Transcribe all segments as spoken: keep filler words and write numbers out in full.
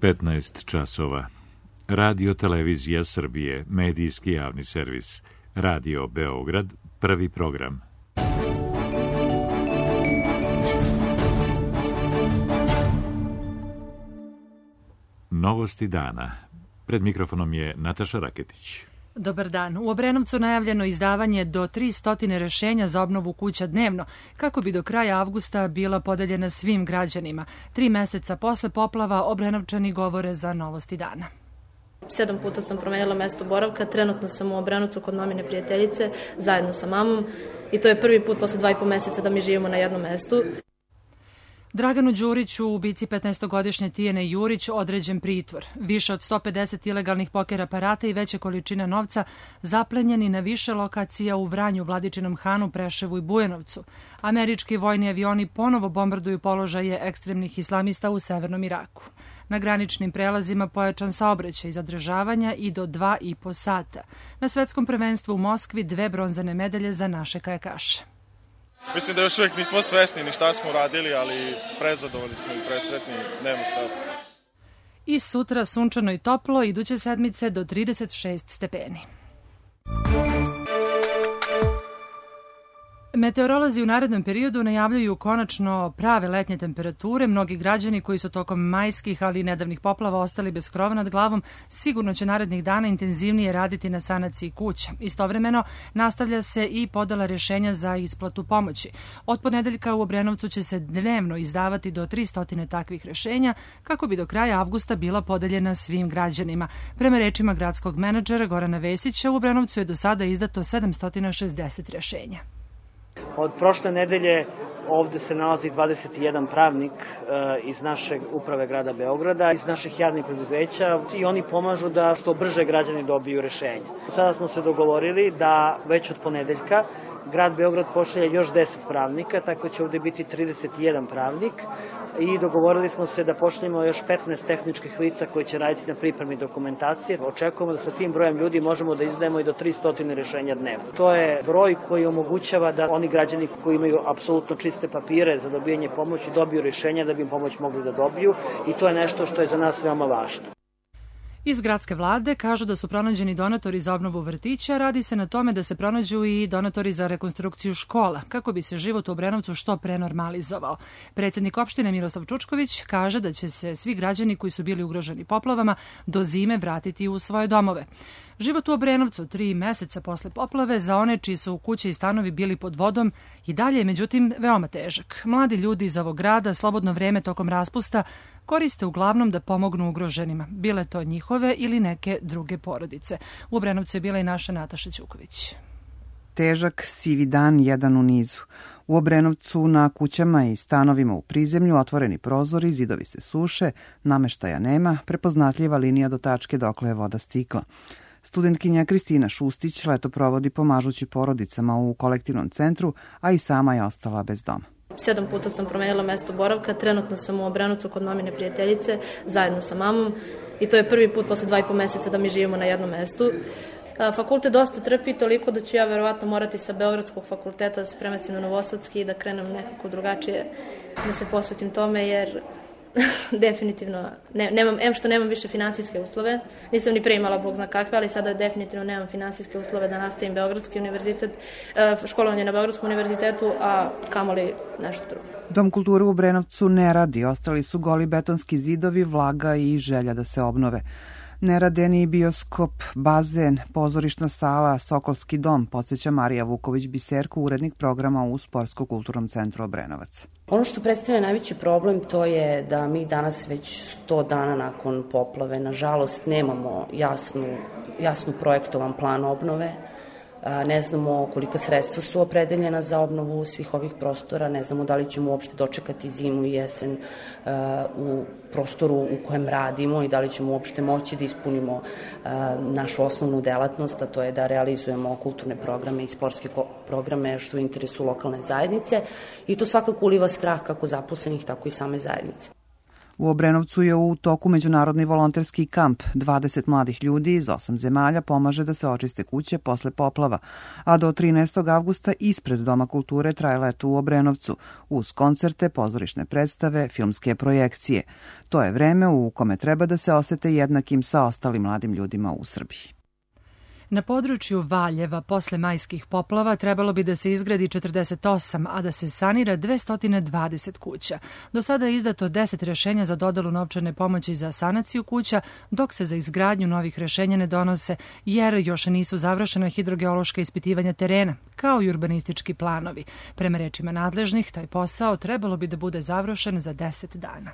petnaest časova. Radio Televizija Srbije, medijski javni servis. Radio Beograd, prvi program. Novosti dana. Pred mikrofonom je Nataša Raketić. Dobar dan. U Obrenovcu najavljeno izdavanje do tristo rešenja za obnovu kuća dnevno, kako bi do kraja avgusta bila podeljena svim građanima. Tri meseca posle poplava Obrenovčani govore za Novosti dana. Sedam puta sam promenila mesto boravka, trenutno sam u Obrenovcu kod mamine prijateljice, zajedno sa mamom, i to je prvi put posle dva i po meseca da mi živimo na jednom mestu. Draganu Đuriću, ubici petnaestogodišnje Tijene Jurić, određen pritvor. Više od sto pedeset ilegalnih poker aparata i veće količine novca zaplenjeni na više lokacija u Vranju, Vladičinom Hanu, Preševu i Bujanovcu. Američki vojni avioni ponovo bombarduju položaje ekstremnih islamista u severnom Iraku. Na graničnim prelazima pojačan saobraćaj, zadržavanja i do dva i po sata. Na svetskom prvenstvu u Moskvi dve bronzane medalje za naše kajakaše. Mislim da još uvijek nismo svesni ni šta smo radili, ali prezadovoljni smo i presretni, nema šta. I sutra sunčano i toplo, iduće sedmice do trideset šest stepeni. Meteorolozi u narednom periodu najavljuju konačno prave letnje temperature. Mnogi građani koji su tokom majskih, ali i nedavnih poplava ostali bez krova nad glavom, sigurno će narednih dana intenzivnije raditi na sanaciji kuća. Istovremeno, nastavlja se i podela rešenja za isplatu pomoći. Od ponedeljka u Obrenovcu će se dnevno izdavati do tristo takvih rešenja, kako bi do kraja avgusta bila podeljena svim građanima. Prema rečima gradskog menadžera Gorana Vesića, u Obrenovcu je do sada izdato sedamsto šezdeset rešenja. Od prošle nedelje ovde se nalazi dvadeset jedan pravnik iz naše uprave grada Beograda, iz naših javnih preduzeća, i oni pomažu da što brže građani dobiju rešenje. Sada smo se dogovorili da već od ponedeljka grad Beograd pošalje još deset pravnika, tako će ovde biti trideset jedan pravnik, i dogovorili smo se da pošaljemo još petnaest tehničkih lica koji će raditi na pripremi dokumentacije. Očekujemo da sa tim brojem ljudi možemo da izdajemo i do tristo rešenja dnevno. To je broj koji omogućava da oni građani koji imaju apsolutno čiste papire za dobijanje pomoći dobiju rešenja da bi im pomoć mogli da dobiju, i to je nešto što je za nas veoma važno. Iz gradske vlade kažu da su pronađeni donatori za obnovu vrtića, radi se na tome da se pronađu i donatori za rekonstrukciju škola, kako bi se život u Obrenovcu što pre normalizovao. Predsjednik opštine Miroslav Čučković kaže da će se svi građani koji su bili ugroženi poplavama do zime vratiti u svoje domove. Život u Obrenovcu tri meseca posle poplave za one čiji su kuće i stanovi bili pod vodom i dalje je međutim veoma težak. Mladi ljudi iz ovog grada slobodno vreme tokom raspusta koriste uglavnom da pomognu ugroženima, bile to njihove ili neke druge porodice. U Obrenovcu je bila i naša Nataša Ćuković. Težak, sivi dan, jedan u nizu. U Obrenovcu na kućama i stanovima u prizemlju otvoreni prozori, zidovi se suše, nameštaja nema, prepoznatljiva linija do tačke dokle je voda stikla. Studentkinja Kristina Šustić leto provodi pomažući porodicama u kolektivnom centru, a i sama je ostala bez doma. Sedam puta sam promenila mesto boravka, trenutno sam u Obrenovcu kod mamine prijateljice, zajedno sa mamom, i to je prvi put posle dva i po meseca da mi živimo na jednom mestu. Fakultet dosta trpi, toliko da ću ja verovatno morati sa Beogradskog fakulteta da se premestim na Novosadski i da krenem nekako drugačije, da se posvetim tome, jer definitivno ne, nemam, em što nemam više finansijske uslove, nisam ni pre imala bog zna kakve, ali sada definitivno nemam finansijske uslove da nastavim Beogradski univerzitet, školovanje na Beogradskom univerzitetu, a kamoli nešto drugo. Dom kulture u Obrenovcu ne radi, ostali su goli betonski zidovi, vlaga i želja da se obnove. Ne rade ni bioskop, bazen, pozorišna sala, Sokolski dom, podsjeća Marija Vuković-Biserko, urednik programa u Sportsko-kulturnom centru Obrenovac. Ono što predstavlja najveći problem to je da mi danas već sto dana nakon poplave, nažalost, nemamo jasnu, jasnu projektovan plan obnove. Ne znamo kolika sredstva su opredeljena za obnovu svih ovih prostora, ne znamo da li ćemo uopšte dočekati zimu i jesen u prostoru u kojem radimo i da li ćemo uopšte moći da ispunimo našu osnovnu delatnost, a to je da realizujemo kulturne programe i sportske programe što u interesu lokalne zajednice, i to svakako uliva strah kako zaposlenih, tako i same zajednice. U Obrenovcu je u toku međunarodni volonterski kamp. dvadeset mladih ljudi iz osam zemalja pomaže da se očiste kuće posle poplava, a do trinaestog avgusta ispred Doma kulture traje leto u Obrenovcu, uz koncerte, pozorišne predstave, filmske projekcije. To je vreme u kome treba da se osete jednakim sa ostalim mladim ljudima u Srbiji. Na području Valjeva posle majskih poplava trebalo bi da se izgradi četrdeset osam, a da se sanira dvesta dvadeset kuća. Do sada je izdato deset rešenja za dodelu novčane pomoći za sanaciju kuća, dok se za izgradnju novih rešenja ne donose, jer još nisu završena hidrogeološka ispitivanja terena, kao i urbanistički planovi. Prema rečima nadležnih, taj posao trebalo bi da bude završen za deset dana.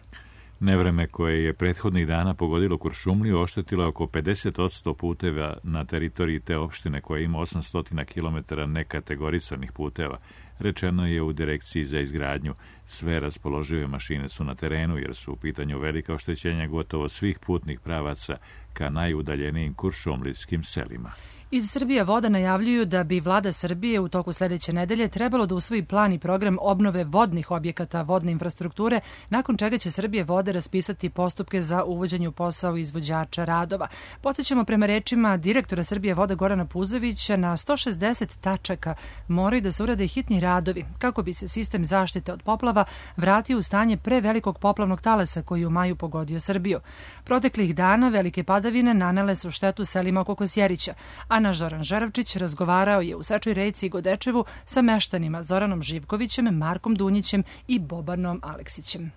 Nevreme koje je prethodnih dana pogodilo Kuršumliju oštetilo oko pedeset posto puteva na teritoriji te opštine koja ima osamsto kilometara nekategorisanih puteva. Rečeno je u Direkciji za izgradnju. Sve raspoložive mašine su na terenu jer su u pitanju velika oštećenja gotovo svih putnih pravaca ka najudaljenijim kuršumlijskim selima. Iz Srbija voda najavljuju da bi vlada Srbije u toku sledeće nedelje trebalo da usvoji plan i program obnove vodnih objekata vodne infrastrukture, nakon čega će Srbije vode raspisati postupke za uvođenje u posao izvođača radova. Podsećamo, prema rečima direktora Srbije voda Gorana Puzovića, na sto šezdeset tačaka moraju da se urade hitni radovi kako bi se sistem zaštite od poplava vratio u stanje pre velikog poplavnog talasa koji je u maju pogodio Srbiju. Proteklih dana velike padavine nanele su štetu selima oko Kosjerića, a naš Zoran Žeravčić razgovarao je u Sečoj Reci i Godečevu sa meštanima Zoranom Živkovićem, Markom Dunjićem i Bobanom Aleksićem.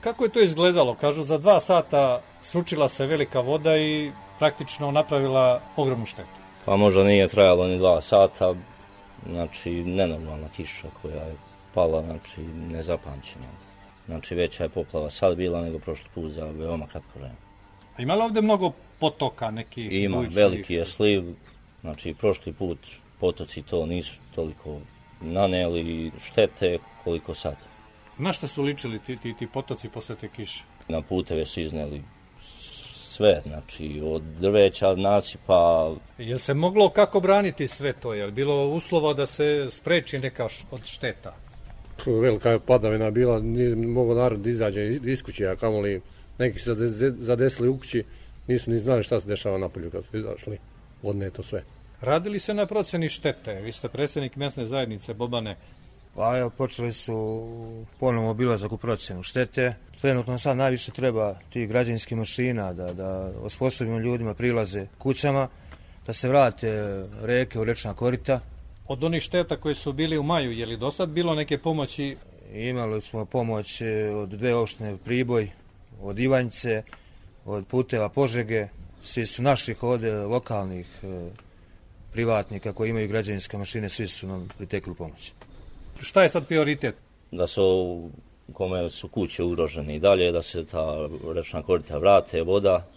Kako je to izgledalo? Kažu, za dva sata sručila se velika voda i praktično napravila ogromnu štetu. Pa možda nije trajalo ni dva sata, znači nenormalna kiša koja je pala, znači nezapamćena. Znači veća je poplava sad bila nego prošli put za veoma kratko vreme. A ima li ovde mnogo potoka nekih? Ima, bujičnih? Veliki je sliv, znači prošli put potoci to nisu toliko naneli štete koliko sad. Na šta su ličili ti, ti, ti potoci posle te kiše? Na puteve su izneli sve, znači od drveća, nasipa. Je se moglo kako braniti sve to? Je li bilo uslova da se spreči neka od šteta? Velika je padavina bila, nije mogao narod da izađe iz kuće, a kamoli neki su zadesili u kući, nisu ni znali šta se dešava napolju kad su izašli, odneto sve. Radili se na proceni štete? Vi ste predsjednik mesne zajednice, Bobane. Pa evo, počeli su ponovno obilazak u procenu štete. Trenutno sad najviše treba tih građevinskih mašina da, da osposobimo ljudima prilaze kućama, da se vrate reke u rečna korita. Od onih šteta koji su bili u maju, je li do sad bilo neke pomoći? Imali smo pomoć od dve opštine Priboj, od Ivanjice, od puteva Požege, svi su naših ovde lokalnih e, privatnika koji imaju građevinske mašine, svi su nam pritekli pomoć. Šta je sad prioritet? Da su, kome su kuće ugrožene i dalje, da se ta rečna korita vrate, voda,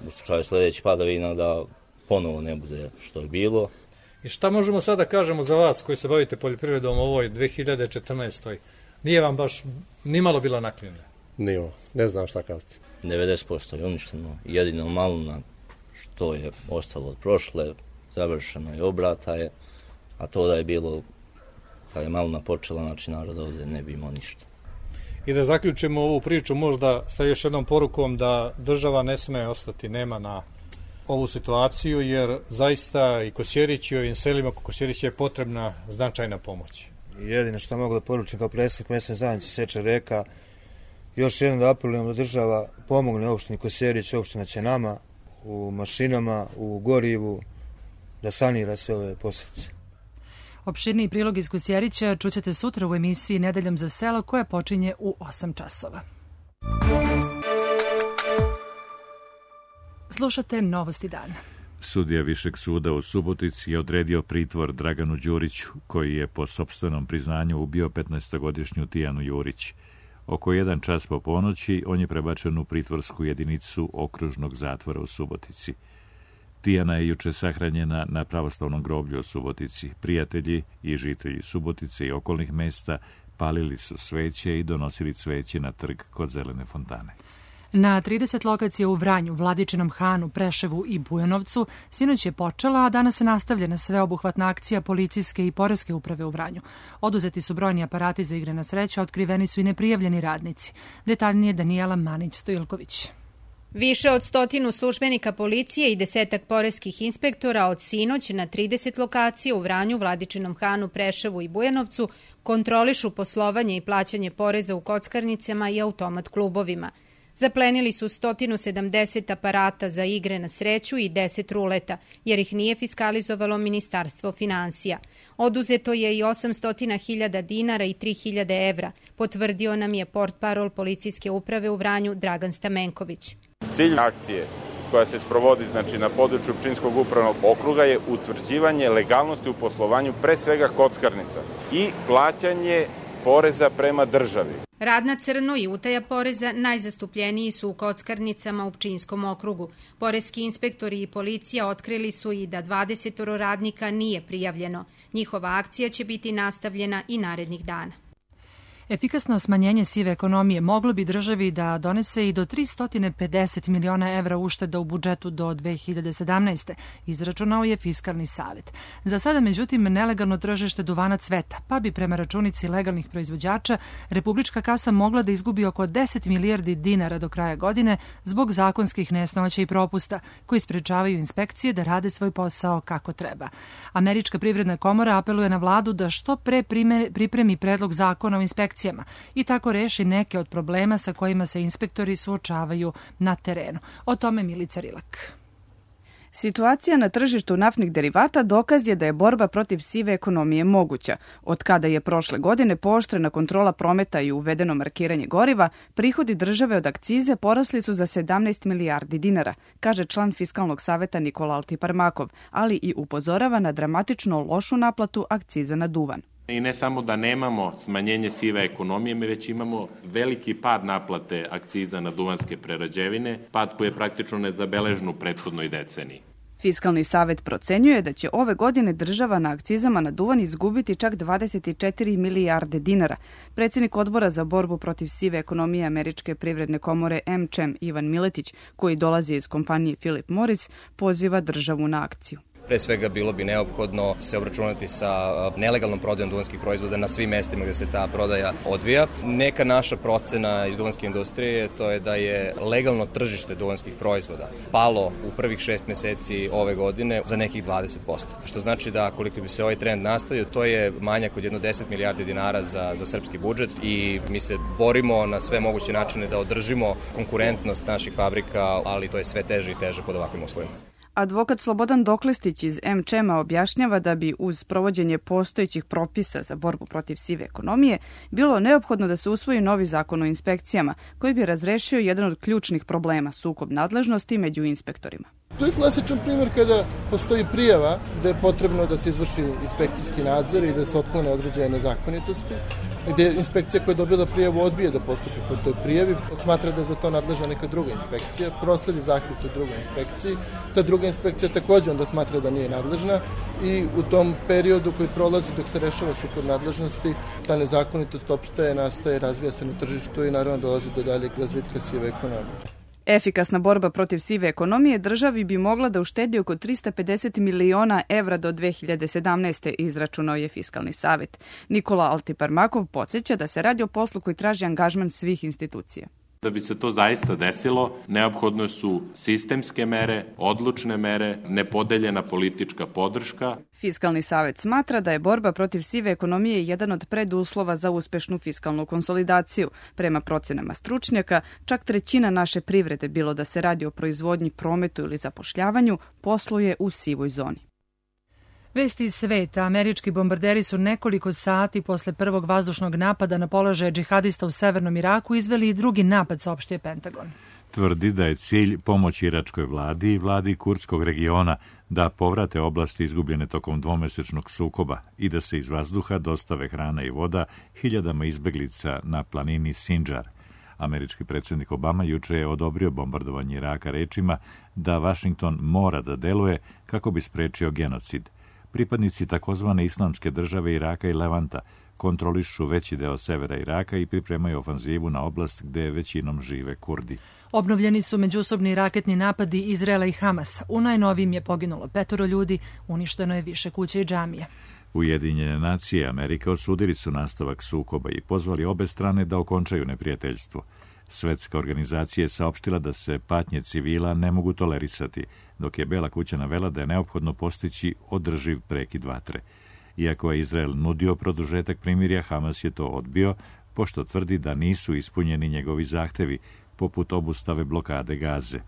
u slučaju sledeći padavina da ponovo ne bude što je bilo. I šta možemo sada kažemo za vas koji se bavite poljoprivredom u ovoj dve hiljade četrnaestoj? Nije vam baš nimalo bila naklonjena? Nije, ne znam šta kazati. devedeset posto je uništeno, jedino maluna što je ostalo od prošle, završeno je, obrata je, a to da je bilo, kad je maluna počela, znači narod ovde ne bi imao ništa. I da zaključimo ovu priču možda sa još jednom porukom da država ne sme ostati nema na ovu situaciju, jer zaista i Kosjerić i ovim selima oko Kosjerića je potrebna značajna pomoć. Jedino što mogu da poručim kao predsjednik mesne zajednice Seča Reka, još jednom da apelujem da država pomogne opštini Kosjerić, opština će nama, u mašinama, u gorivu, da sanira sve ove posljedice. Opširniji prilog iz Kosjerića čućete sutra u emisiji Nedeljom za selo koja počinje u osam časova. Slušate Novosti dana. Sudija Višeg suda u Subotici je odredio pritvor Draganu Đuriću, koji je po sopstvenom priznanju ubio petnaestogodišnju Tijanu Jurić. Oko jedan čas po ponoći on je prebačen u pritvorsku jedinicu okružnog zatvora u Subotici. Tijana je juče sahranjena na pravoslavnom groblju u Subotici. Prijatelji i žitelji Subotice i okolnih mesta palili su sveće i donosili cveće na trg kod Zelene fontane. Na trideset lokacija u Vranju, Vladičinom Hanu, Preševu i Bujanovcu sinoć je počela, a danas se nastavlja sveobuhvatna akcija policijske i poreske uprave u Vranju. Oduzeti su brojni aparati za igre na sreću, a otkriveni su i neprijavljeni radnici. Detaljnije Danijela Manić-Stojilković. Više od stotinu službenika policije i desetak poreskih inspektora od sinoć na trideset lokacija u Vranju, Vladičinom Hanu, Preševu i Bujanovcu kontrolišu poslovanje i plaćanje poreza u kockarnicama i automat klubovima. Zaplenili su sto sedamdeset aparata za igre na sreću i deset ruleta, jer ih nije fiskalizovalo Ministarstvo finansija. Oduzeto je i osamsto hiljada dinara i tri hiljade evra, potvrdio nam je portparol policijske uprave u Vranju Dragan Stamenković. Cilj akcije koja se sprovodi znači, na području Pčinjskog upravnog okruga je utvrđivanje legalnosti u poslovanju pre svega kockarnica i plaćanje poreza prema državi. Rad na crno i utaja poreza najzastupljeniji su u kockarnicama u Pčinjskom okrugu. Poreski inspektori i policija otkrili su i da dvadeset radnika nije prijavljeno. Njihova akcija će biti nastavljena i narednih dana. Efikasno smanjenje sive ekonomije moglo bi državi da donese i do tristo pedeset miliona evra ušteda u budžetu do dve hiljade sedamnaeste. Izračunao je Fiskalni savet. Za sada, međutim, nelegalno tržište duvana cveta, pa bi prema računici legalnih proizvođača republička kasa mogla da izgubi oko deset milijardi dinara do kraja godine zbog zakonskih nesnoća i propusta koji sprečavaju inspekcije da rade svoj posao kako treba. Američka privredna komora apeluje na vladu da što pre pripremi predlog zakona o inspekciji i tako reši neke od problema sa kojima se inspektori suočavaju na terenu. O tome Milica Rilak. Situacija na tržištu naftnih derivata dokaz je da je borba protiv sive ekonomije moguća. Od kada je prošle godine pooštrena kontrola prometa i uvedeno markiranje goriva, prihodi države od akcize porasli su za sedamnaest milijardi dinara, kaže član Fiskalnog saveta Nikola Altiparmakov, ali i upozorava na dramatično lošu naplatu akciza na duvan. I ne samo da nemamo smanjenje sive ekonomije, mi već imamo veliki pad naplate akciza na duvanske prerađevine, pad koji je praktično nezabeležen u prethodnoj deceniji. Fiskalni savet procenjuje da će ove godine država na akcizama na duvan izgubiti čak dvadeset četiri milijarde dinara. Predsjednik odbora za borbu protiv sive ekonomije Američke privredne komore em če em Ivan Miletić, koji dolazi iz kompanije Philip Morris, poziva državu na akciju. Pre svega bilo bi neophodno se obračunati sa nelegalnom prodajom duvanskih proizvoda na svim mestima gde se ta prodaja odvija. Neka naša procena iz duvanske industrije to je da je legalno tržište duvanskih proizvoda palo u prvih šest meseci ove godine za nekih dvadeset posto. Što znači da koliko bi se ovaj trend nastavio, to je manjak od jedno deset milijardi dinara za, za srpski budžet i mi se borimo na sve moguće načine da održimo konkurentnost naših fabrika, ali to je sve teže i teže pod ovakvim uslovima. Advokat Slobodan Doklistić iz em če em-a objašnjava da bi uz provođenje postojećih propisa za borbu protiv sive ekonomije bilo neophodno da se usvoji novi zakon o inspekcijama koji bi razrešio jedan od ključnih problema, sukob nadležnosti među inspektorima. To je klasičan primjer kada postoji prijava da je potrebno da se izvrši inspekcijski nadzor i da se otklone određene nezakonitosti, gdje inspekcija koja je dobila prijavu odbije da postupi po toj prijavi, smatra da je za to nadležna neka druga inspekcija, prosledi zahtjev toj drugoj inspekciji, ta druga inspekcija također onda smatra da nije nadležna i u tom periodu koji prolazi dok se rešava sukob nadležnosti, ta nezakonitost opstaje, nastaje, razvija se na tržištu i naravno dolazi do daljeg razvitka sive ekonomije. Efikasna borba protiv sive ekonomije državi bi mogla da uštedi oko tristo pedeset miliona evra do dve hiljade sedamnaeste, izračunao je Fiskalni savet. Nikola Altiparmakov podsjeća da se radi o poslu koji traži angažman svih institucija. Da bi se to zaista desilo, neophodno su sistemske mere, odlučne mere, nepodeljena politička podrška. Fiskalni savet smatra da je borba protiv sive ekonomije jedan od preduslova za uspešnu fiskalnu konsolidaciju. Prema procenama stručnjaka, čak trećina naše privrede, bilo da se radi o proizvodnji, prometu ili zapošljavanju, posluje u sivoj zoni. Vesti iz sveta. Američki bombarderi su nekoliko sati posle prvog vazdušnog napada na položaje džihadista u severnom Iraku izveli i drugi napad, saopštio Pentagon. Tvrdi da je cilj pomoć iračkoj vladi i vladi kurdskog regiona da povrate oblasti izgubljene tokom dvomesečnog sukoba i da se iz vazduha dostave hrana i voda hiljadama izbeglica na planini Sinjar. Američki predsjednik Obama juče je odobrio bombardovanje Iraka rečima da Vašington mora da deluje kako bi sprečio genocid. Pripadnici takozvane islamske države Iraka i Levanta kontrolišu veći deo severa Iraka i pripremaju ofanzivu na oblast gde većinom žive Kurdi. Obnovljeni su međusobni raketni napadi Izraela i Hamasa. U najnovijim je poginulo petoro ljudi, uništeno je više kuća i džamija. Ujedinjene nacije i Amerika osudili su nastavak sukoba i pozvali obe strane da okončaju neprijateljstvo. Svetska organizacija je saopštila da se patnje civila ne mogu tolerisati, dok je Bela kuća navela da je neophodno postići održiv prekid vatre. Iako je Izrael nudio produžetak primirja, Hamas je to odbio, pošto tvrdi da nisu ispunjeni njegovi zahtevi, poput obustave blokade Gaze.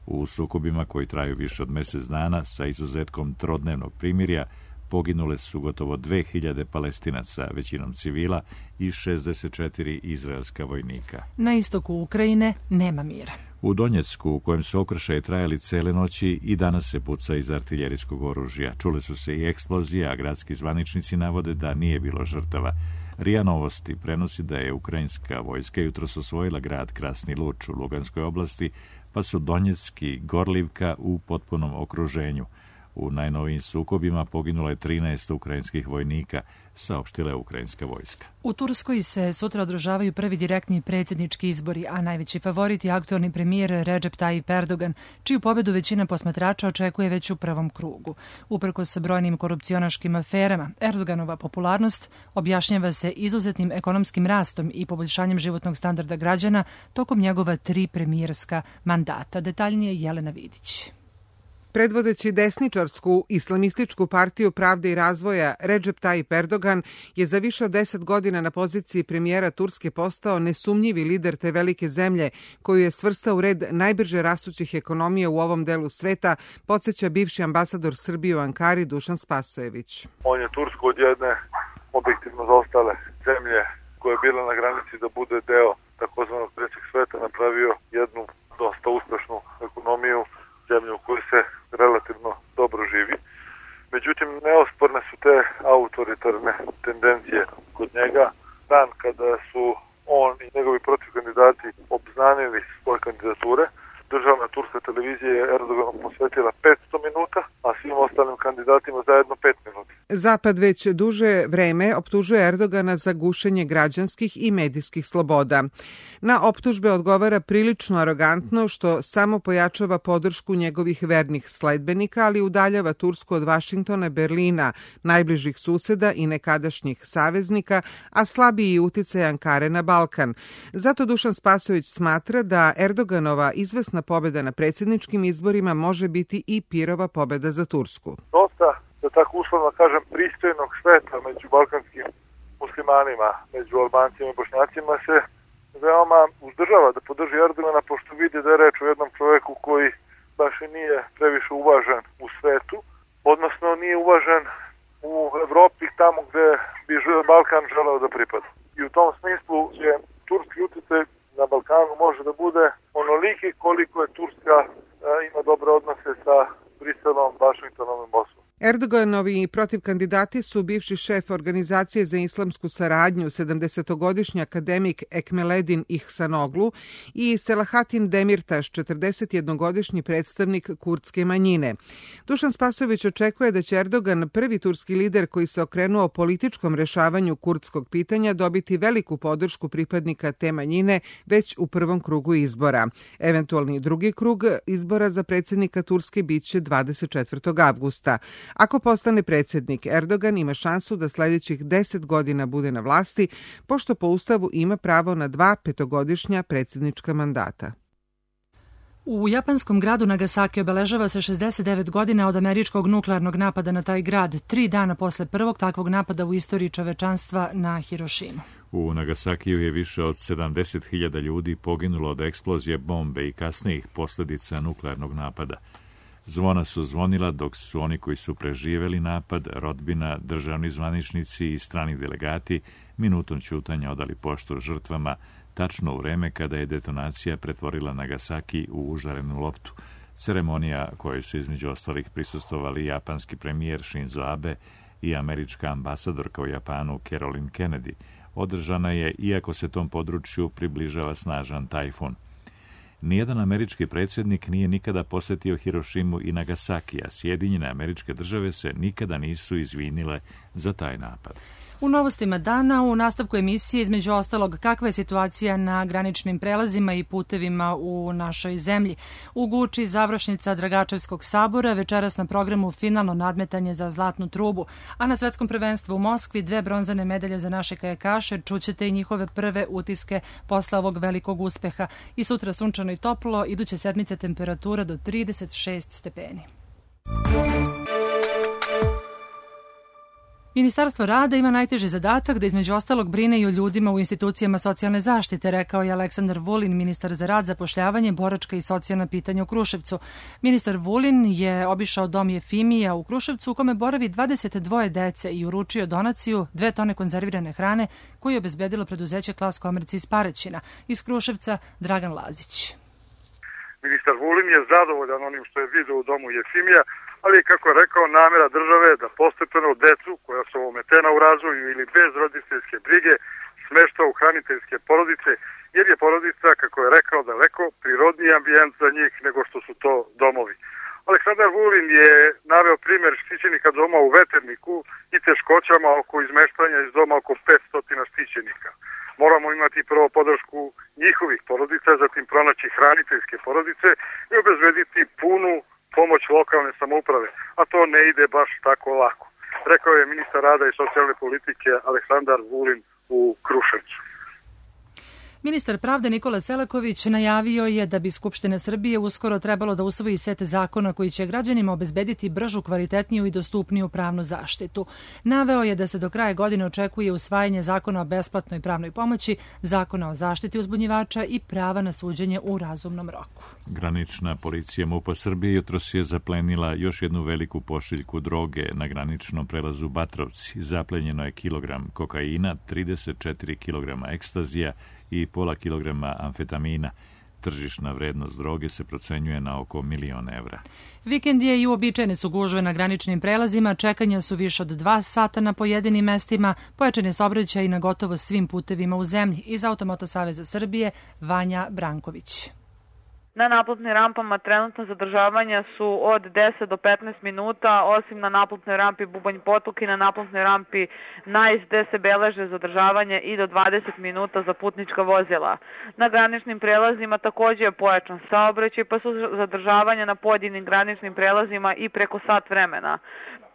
U sukobima koji traju više od mesec dana, sa izuzetkom trodnevnog primirja, poginule su gotovo dve hiljade Palestinaca, većinom civila, i šezdeset četiri izraelska vojnika. Na istoku Ukrajine nema mira. U Donjecku, u kojem su okršaji trajali cele noći, i danas se puca iz artiljerijskog oružja. Čule su se i eksplozije, a gradski zvaničnici navode da nije bilo žrtava. RIA Novosti prenosi da je ukrajinska vojska jutros osvojila grad Krasni Luč u Luganskoj oblasti, pa su Donjecki Gorlivka u potpunom okruženju. U najnovijim sukobima poginulo je trinaest ukrajinskih vojnika, saopštila je ukrajinska vojska. U Turskoj se sutra održavaju prvi direktni predsjednički izbori, a najveći favorit je aktualni premijer Recep Tayyip Erdogan, čiju pobedu većina posmatrača očekuje već u prvom krugu. Uprkos brojnim korupcionaškim aferama, Erdoganova popularnost objašnjava se izuzetnim ekonomskim rastom i poboljšanjem životnog standarda građana tokom njegova tri premijerska mandata. Detaljnije Jelena Vidić. Predvodeći desničarsku islamističku partiju Pravde i razvoja, Recep Tayyip Erdogan je za više od deset godina na poziciji premijera Turske postao nesumnjivi lider te velike zemlje, koju je svrstao u red najbrže rastućih ekonomija u ovom delu sveta, podsjeća bivši ambasador Srbije u Ankari Dušan Spasojević. On je Tursku od jedne objektivno zaostale zemlje koja je bila na granici da bude deo takozvanog trećeg sveta napravio jednu dosta uspešnu ekonomiju, zemlju u kojoj se relativno dobro živi. Međutim, neosporne su te autoritarne tendencije kod njega. Dan kada su on i njegovi protivkandidati obznanili svoje kandidature, državna turska televizija je Erdoganu posvetila petsto minuta, a svim ostalim kandidatima zajedno pet minuta. Zapad već duže vreme optužuje Erdogana za gušenje građanskih i medijskih sloboda. Na optužbe odgovara prilično arogantno, što samo pojačava podršku njegovih vernih sledbenika, ali udaljava Tursku od Vašingtona, Berlina, najbližih suseda i nekadašnjih saveznika, a slabiji uticaj Ankare na Balkan. Zato Dušan Spasojević smatra da Erdoganova izvesna pobjeda na predsjedničkim izborima može biti i pirova pobjeda za Tursku. Dosta, da tako uslovno kažem, pristojnog sveta među balkanskim muslimanima, među Albancima i Bošnjacima se veoma uzdržava da podrži Erdogana, pošto vidi da je reč o jednom čoveku koji baš i nije previše uvažen u svetu, odnosno nije uvažen u Evropi tamo gde bi Balkan želeo da pripada. I u tom smislu je turski uticaj na Balkanu može da bude onoliki koliko je Turska a, ima dobre odnose sa Briselom, Vašingtonom i Moskvom. Erdoganovi protivkandidati su bivši šef Organizacije za islamsku saradnju, sedamdesetogodišnji akademik Ekmeledin Ihsanoglu i Selahatin Demirtaš, četrdesetjednogodišnji predstavnik kurdske manjine. Dušan Spasojević očekuje da će Erdogan, prvi turski lider koji se okrenuo političkom rešavanju kurdskog pitanja, dobiti veliku podršku pripadnika te manjine već u prvom krugu izbora. Eventualni drugi krug izbora za predsjednika Turske biće dvadeset četvrtog avgusta. Ako postane predsjednik, Erdogan ima šansu da sljedećih deset godina bude na vlasti, pošto po Ustavu ima pravo na dva petogodišnja predsjednička mandata. U japanskom gradu Nagasaki obeležava se šezdeset devet godina od američkog nuklearnog napada na taj grad, tri dana posle prvog takvog napada u istoriji čovečanstva na Hirošimu. U Nagasakiju je više od sedamdeset hiljada ljudi poginulo od eksplozije bombe i kasnijih posljedica nuklearnog napada. Zvona su zvonila dok su oni koji su preživeli napad, rodbina, državni zvaničnici i strani delegati minutom ćutanja odali poštu žrtvama, tačno u vreme kada je detonacija pretvorila Nagasaki u užarenu loptu. Ceremonija kojoj su između ostalih prisustvovali japanski premijer Shinzo Abe i američka ambasadorka u Japanu Caroline Kennedy održana je, iako se tom području približava snažan tajfun. Nijedan američki predsjednik nije nikada posjetio Hirošimu i Nagasaki, a Sjedinjene Američke Države se nikada nisu izvinile za taj napad. U novostima dana u nastavku emisije između ostalog kakva je situacija na graničnim prelazima i putevima u našoj zemlji. U Guči završnica Dragačevskog sabora, večeras na programu finalno nadmetanje za zlatnu trubu, a na svetskom prvenstvu u Moskvi dve bronzane medalje za naše kajakaše, čućete i njihove prve utiske posle ovog velikog uspeha. I sutra sunčano i toplo, iduće sedmice temperatura do trideset šest stepeni. Ministarstvo rada ima najteži zadatak da između ostalog brine i o ljudima u institucijama socijalne zaštite, rekao je Aleksandar Vulin, ministar za rad, zapošljavanje, boračka i socijalna pitanja u Kruševcu. Ministar Vulin je obišao dom Jefimija u Kruševcu u kome boravi dvadeset dvoje dece i uručio donaciju dve tone konzervirane hrane koju je obezbedilo preduzeće Klas Komerci iz Paraćina. Iz Kruševca Dragan Lazić. Ministar Vulin je zadovoljan onim što je video u domu Jefimija, ali je, kako je rekao, namera države da postepeno decu koja su ometena u razvoju ili bez roditeljske brige smešta u hraniteljske porodice, jer je porodica, kako je rekao, daleko prirodniji ambijent za njih nego što su to domovi. Aleksandar Vulin je naveo primjer štićenika doma u Veterniku i teškoćama oko izmeštanja iz doma oko petsto štićenika. Moramo imati prvo podršku njihovih porodica, zatim pronaći hraniteljske porodice i obezbediti punu pomoć lokalne samouprave, a to ne ide baš tako lako. Rekao je ministar rada i socijalne politike Aleksandar Vulin u Kruševcu. Ministar pravde Nikola Selaković najavio je da bi Skupština Srbije uskoro trebalo da usvoji set zakona koji će građanima obezbediti bržu, kvalitetniju i dostupniju pravnu zaštitu. Naveo je da se do kraja godine očekuje usvajanje zakona o besplatnoj pravnoj pomoći, zakona o zaštiti uzbunjivača i prava na suđenje u razumnom roku. Granična policija MUP-a Srbije jutros je zaplenila još jednu veliku pošiljku droge na graničnom prelazu Batrovci. Zaplenjeno je kilogram kokaina, trideset četiri kilograma ekstazija i pola kilograma amfetamina. Tržišna vrednost droge se procenjuje na oko milion evra. Vikend je i uobičajene su gužve na graničnim prelazima, čekanja su više od dva sata na pojedinim mestima, pojačan je saobraćaj na gotovo svim putevima u zemlji. Iz Automoto Saveza Srbije, Vanja Branković. Na naplatnim rampama trenutno zadržavanja su od deset do petnaest minuta, osim na naplatnoj rampi Bubanj Potok i na naplatnoj rampi Najs, gde se beleže zadržavanje i do dvadeset minuta za putnička vozila. Na graničnim prelazima takođe je pojačan saobraćaj, pa su zadržavanja na pojedinim graničnim prelazima i preko sat vremena.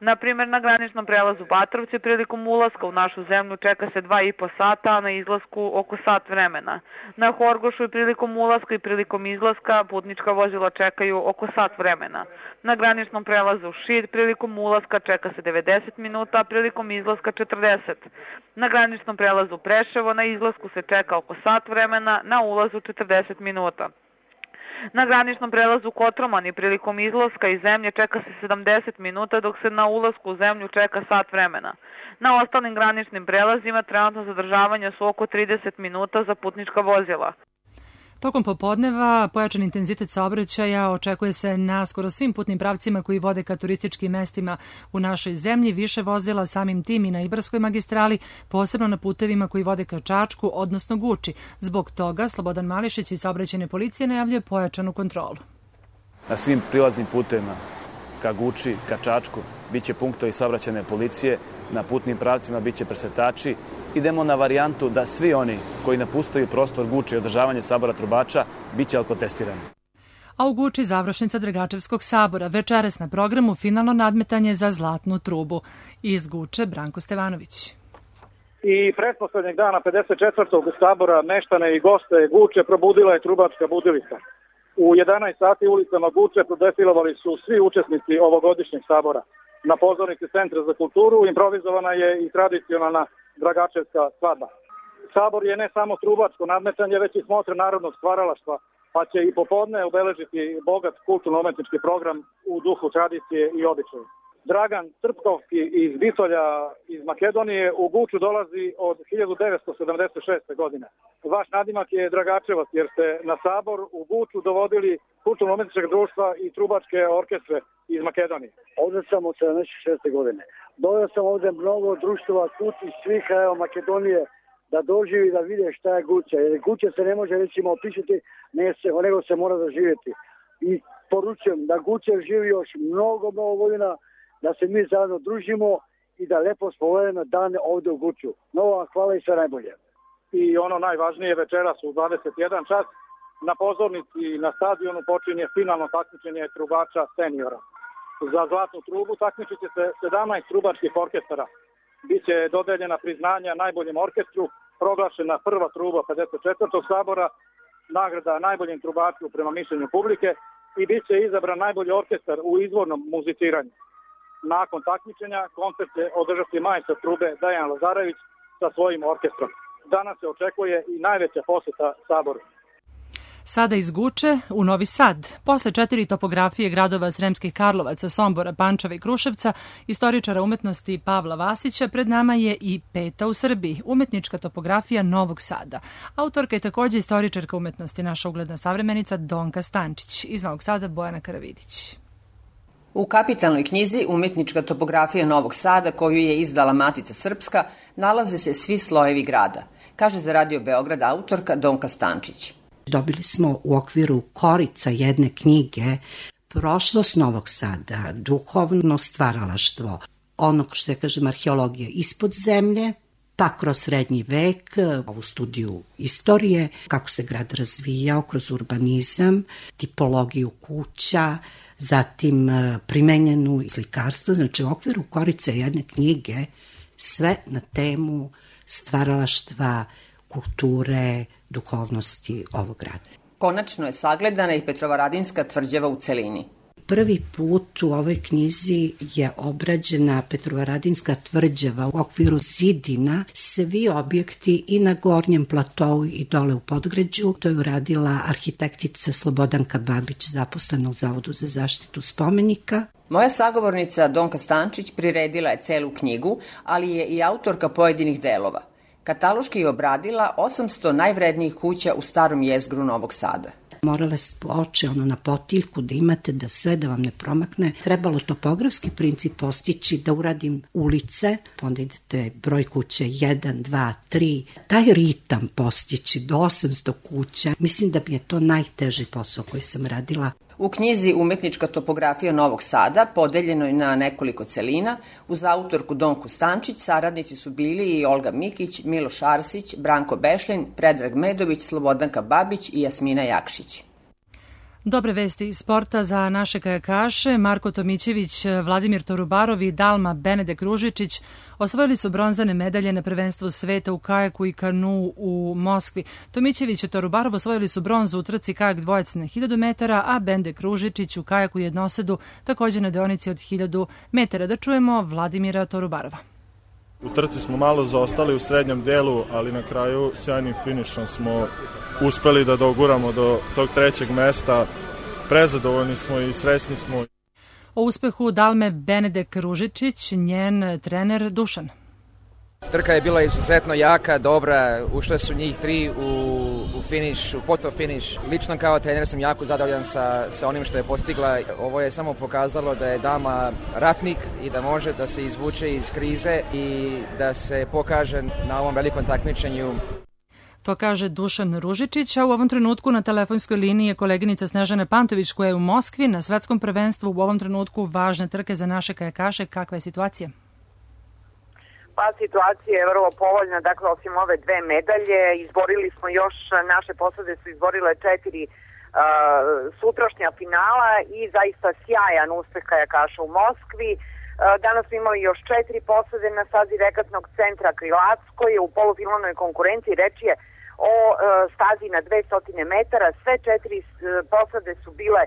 Na primjer, na graničnom prelazu Batrovci prilikom ulaska u našu zemlju čeka se dva i po sata, a na izlasku oko sat vremena. Na Horgošu i prilikom ulaska i prilikom izlaska putnička vozila čekaju oko sat vremena. Na graničnom prelazu Šid prilikom ulaska čeka se devedeset minuta, a prilikom izlaska četrdeset. Na graničnom prelazu Preševo na izlasku se čeka oko sat vremena, na ulazu četrdeset minuta. Na graničnom prelazu Kotromani prilikom izlaska iz zemlje čeka se sedamdeset minuta, dok se na ulasku u zemlju čeka sat vremena. Na ostalim graničnim prelazima trenutno zadržavanja su oko trideset minuta za putnička vozila. Tokom popodneva pojačan intenzitet saobraćaja očekuje se na skoro svim putnim pravcima koji vode ka turističkim mestima u našoj zemlji, više vozila samim tim i na Ibarskoj magistrali, posebno na putevima koji vode ka Čačku, odnosno Guči. Zbog toga Slobodan Mališić iz saobraćajne policije najavljuje pojačanu kontrolu. Na svim prilaznim putevima ka Guči, ka Čačku, biće punktovi saobraćajne policije, na putnim pravcima biće presretači. Idemo na varijantu da svi oni koji napustaju prostor Guče i održavanje sabora trubača biće alkotestirani. A u Guči završnica Dragačevskog sabora, večeras na programu finalno nadmetanje za zlatnu trubu. Iz Guče Branko Stevanović. I pretposlednjeg dana pedeset četvrtog sabora meštane i goste Guče probudila je trubačka budilica. U jedanaest sati ulicama Guče prodefilovali su svi učesnici ovogodišnjeg sabora. Na pozornici Centra za kulturu improvizovana je i tradicionalna Dragačevska svadba. Sabor je ne samo trubačko nadmetanje, već i smotre narodnog stvaralaštva, pa će i popodne obeležiti bogat kulturno-umetnički program u duhu tradicije i običaja. Dragan Trpkovski iz Bitolja iz Makedonije u Guču dolazi od hiljadu devetsto sedamdeset šeste. godine. Vaš nadimak je Dragačevac jer ste na sabor u Guču dovodili kulturno-umetničkog društva i trubačke orkestre iz Makedonije. Ovdje sam od sedamdeset šeste. godine. Doveo sam ovdje mnogo društva Guč iz svih krajeva Makedonije da doživi da vide šta je Guča. Jer Guča se ne može recimo opisati, nego se mora doživjeti. I poručujem da Guča živi još mnogo, mnogo godina, da se mi zajedno družimo i da lepo spovedemo dan ovde u Guču. Novo, hvala i sve najbolje. I ono najvažnije, večeras u dvadeset jedan čas na pozornici na stadionu počinje finalno takmičenje trubača seniora. Za zlatnu trubu takmičit će se sedamnaest trubačkih orkestara. Biće dodeljena priznanja najboljem orkestru, proglašena prva truba pedeset četvrtog sabora, nagrada najboljem trubaču prema mišljenju publike i bit će izabran najbolji orkestar u izvornom muziciranju. Nakon takmičenja koncert će održati majstor trube Dejan Lazarević sa svojim orkestrom. Danas se očekuje i najveća poseta saboru. Sada iz Guče u Novi Sad. Posle četiri topografije gradova Sremskih Karlovaca, Sombora, Pančeva i Kruševca, istoričara umetnosti Pavla Vasića, pred nama je i peta u Srbiji, umetnička topografija Novog Sada. Autorka je takođe istoričarka umetnosti, naša ugledna savremenica Donka Stančić. Iz Novog Sada Bojana Karavidić. U kapitalnoj knjizi Umetnička topografija Novog Sada, koju je izdala Matica Srpska, nalaze se svi slojevi grada, kaže za Radio Beograd autorka Donka Stančić. Dobili smo u okviru korica jedne knjige prošlost Novog Sada, duhovno stvaralaštvo, onog što je, kažem, arheologija ispod zemlje, pa kroz srednji vek, ovu studiju istorije, kako se grad razvijao kroz urbanizam, tipologiju kuća, zatim primenjenu slikarstvo, znači u okviru korica jedne knjige sve na temu stvaralaštva, kulture, duhovnosti ovog grada. Konačno je sagledana i Petrovaradinska tvrđava u celini. Prvi put u ovoj knjizi je obrađena Petrovaradinska tvrđava u okviru zidina, svi objekti i na gornjem platovu i dole u Podgrađu. To je uradila arhitektica Slobodanka Babić, zaposlena u Zavodu za zaštitu spomenika. Moja sagovornica Donka Stančić priredila je celu knjigu, ali je i autorka pojedinih delova. Kataloški je obradila osamsto najvrednijih kuća u starom jezgru Novog Sada. Morale se oči ono na potiljku da imate da sve da vam ne promakne. Trebalo topografski princip postići da uradim ulice, onda idete broj kuće jedan, dva, tri. Taj ritam postići do osamsto kuća, mislim da mi je to najteži posao koji sam radila. U knjizi Umetnička topografija Novog Sada, podeljeno je na nekoliko celina, uz autorku Donku Stančić saradnici su bili i Olga Mikić, Miloš Arsić, Branko Bešlin, Predrag Medović, Slobodanka Babić i Jasmina Jakšić. Dobre vesti iz sporta za naše kajakaše. Marko Tomićević, Vladimir Torubarov i Dalma Benedek Ružičić osvojili su bronzane medalje na prvenstvu sveta u kajaku i kanu u Moskvi. Tomićević i Torubarov osvojili su bronzu u trci kajak dvojac na hiljadu metara, a Benedek Ružičić u kajaku jednosedu takođe na deonici od hiljadu metara. Da čujemo Vladimira Torubarova. U trci smo malo zaostali u srednjem delu, ali na kraju sjajnim finišom smo uspeli da doguramo do tog trećeg mesta. Prezadovoljni smo i srećni smo. O uspehu Dalme Benedek Ružičić, njen trener Dušan. Trka je bila izuzetno jaka, dobra, ušle su njih tri u, u finiš, u foto finiš. Lično kao trener sam jako zadovoljan sa, sa onim što je postigla. Ovo je samo pokazalo da je dama ratnik i da može da se izvuče iz krize i da se pokaže na ovom velikom takmičenju. To kaže Dušan Ružičić, a u ovom trenutku na telefonskoj liniji je koleginica Snežana Pantović koja je u Moskvi na svetskom prvenstvu. U ovom trenutku važne trke za naše kajakaše. Kakva je situacija? Pa situacija je vrlo povoljna, dakle osim ove dve medalje izborili smo još, naše posade su izborile četiri uh, sutrašnja finala i zaista sjajan uspeh kajakaša u Moskvi. Uh, danas smo imali još četiri posade na stazi regatnog centra Krilatsko je u polufinalnoj konkurenciji, reč je o uh, stazi na dvesta metara, sve četiri uh, posade su bile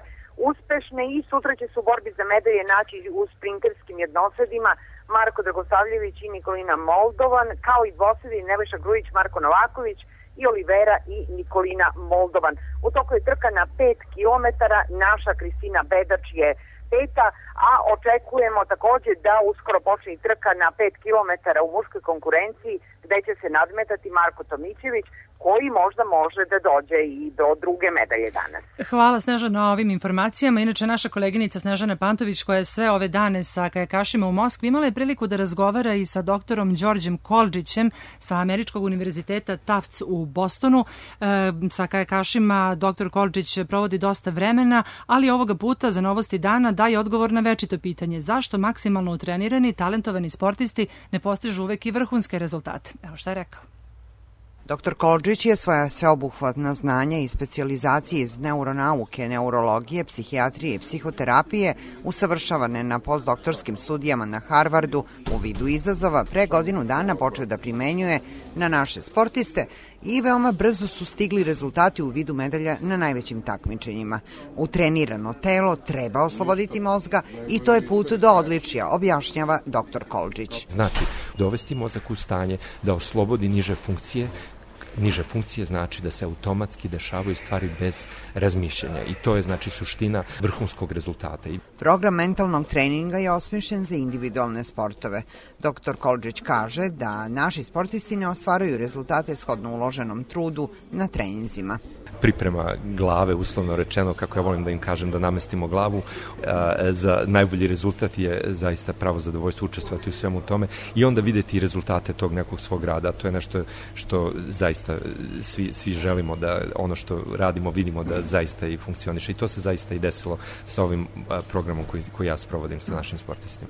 uspešne i sutra će se u borbi za medalje naći u sprinterskim jednosedima Marko Dragosavljević i Nikolina Moldovan, kao i dvosedi Nebojša Grujić, Marko Novaković i Olivera i Nikolina Moldovan. U toku je trka na pet kilometara, naša Kristina Bedač je peta, a očekujemo takođe da uskoro počne i trka na pet kilometara u muškoj konkurenciji, gde će se nadmetati Marko Tomićević koji možda može da dođe i do druge medalje danas. Hvala Snežana na ovim informacijama. Inače, naša koleginica Snežana Pantović, koja je sve ove dane sa kajakašima u Moskvi, imala je priliku da razgovara i sa doktorom Đorđem Koldžićem sa Američkog univerziteta Tufts u Bostonu. E, sa kajakašima doktor Koldžić provodi dosta vremena, ali ovoga puta za Novosti dana daje odgovor na večito pitanje zašto maksimalno utrenirani, talentovani sportisti ne postižu uvek i vrhunske rezultate. Evo šta je rekao. doktor Koldžić je svoja sveobuhvatna znanja i specijalizacije iz neuronauke, neurologije, psihijatrije i psihoterapije usavršavane na postdoktorskim studijama na Harvardu u vidu izazova pre godinu dana počeo da primenjuje na naše sportiste i veoma brzo su stigli rezultati u vidu medalja na najvećim takmičenjima. Utrenirano telo treba osloboditi mozga i to je put do odličja, objašnjava doktor Koldžić. Znači, dovesti mozak u stanje da oslobodi niže funkcije. Niže funkcije znači da se automatski dešavaju stvari bez razmišljanja i to je znači suština vrhunskog rezultata. Program mentalnog treninga je osmišljen za individualne sportove. doktor Koldžić kaže da naši sportisti ne ostvaruju rezultate shodno uloženom trudu na treninzima. Priprema glave, uslovno rečeno, kako ja volim da im kažem, da namestimo glavu, za najbolji rezultat je zaista pravo zadovoljstvo učestvovati u svemu tome i onda videti rezultate tog nekog svog rada. To je nešto što zaista svi, svi želimo da ono što radimo vidimo da zaista i funkcioniše i to se zaista i desilo sa ovim programom koji, koji ja sprovodim sa našim sportistima.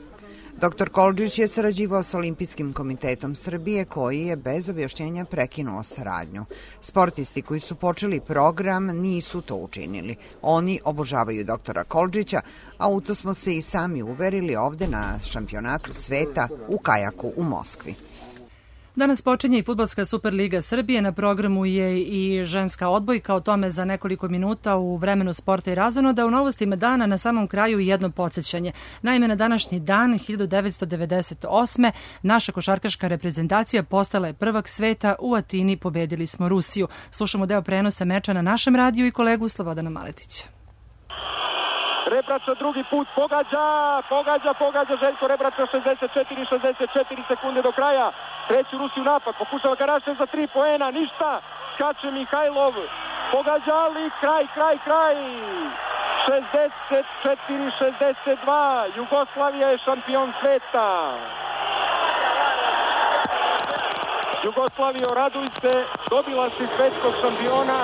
doktor Koldžić je sarađivao sa Olimpijskim komitetom Srbije koji je bez objašnjenja prekinuo saradnju. Sportisti koji su počeli program nisu to učinili. Oni obožavaju doktora Koldžića, a u to smo se i sami uverili ovde na šampionatu sveta u kajaku u Moskvi. Danas počinje i Fudbalska Superliga Srbije, na programu je i ženska odbojka, o tome za nekoliko minuta u vremenu sporta i razonoda. U novostima dana na samom kraju jedno podsjećanje. Naime, na današnji dan hiljadu devetsto devedeset osme naša košarkaška reprezentacija postala je prvak sveta, u Atini pobedili smo Rusiju. Slušamo deo prenosa meča na našem radiju i kolegu Slobodana Maletića. Rebrača drugi put pogađa, pogađa, pogađa Željko Rebrača, šezdeset četiri šezdeset četiri sekunde do kraja. Treći Rusi u napad, pokušava Karašev za tri poena, ništa, skače Mihajlov, pogađa, ali kraj, kraj, kraj. šezdeset četiri šezdeset dva, Jugoslavija je šampion sveta. Jugoslavija, raduj se, dobila si svetskog šampiona.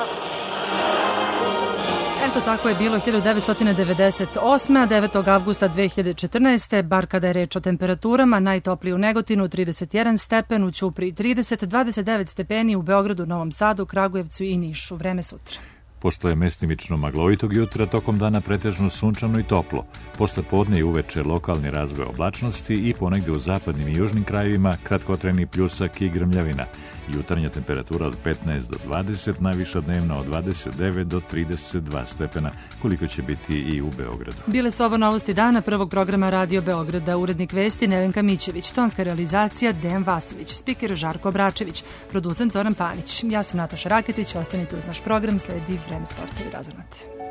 Eto, tako je bilo hiljadu devetsto devedeset osme. a devetog avgusta dve hiljade četrnaeste. bar kada je reč o temperaturama, najtopliji u Negotinu trideset jedan stepen, u Ćupriji trideset, dvadeset devet stepeni u Beogradu, Novom Sadu, Kragujevcu i Nišu. Vreme sutra. Posle mestimično maglovitog jutra, tokom dana pretežno sunčano i toplo. Posle podne i uveče lokalni razvoj oblačnosti i ponegde u zapadnim i južnim krajevima kratkotrajni pljusak i grmljavina. Jutarnja temperatura od petnaest do dvadeset, najviša dnevna od dvadeset devet do trideset dva stepena, koliko će biti i u Beogradu. Bile su ovo novosti dana prvog programa Radio Beograda. Urednik vesti Nevenka Mićević, tonska realizacija Dejan Vasović, spiker Žarko Obračević, producent Zoran Panić. Ja sam Nataša Raketić, ostanite uz naš program, sledi Vreme sporta i razonate.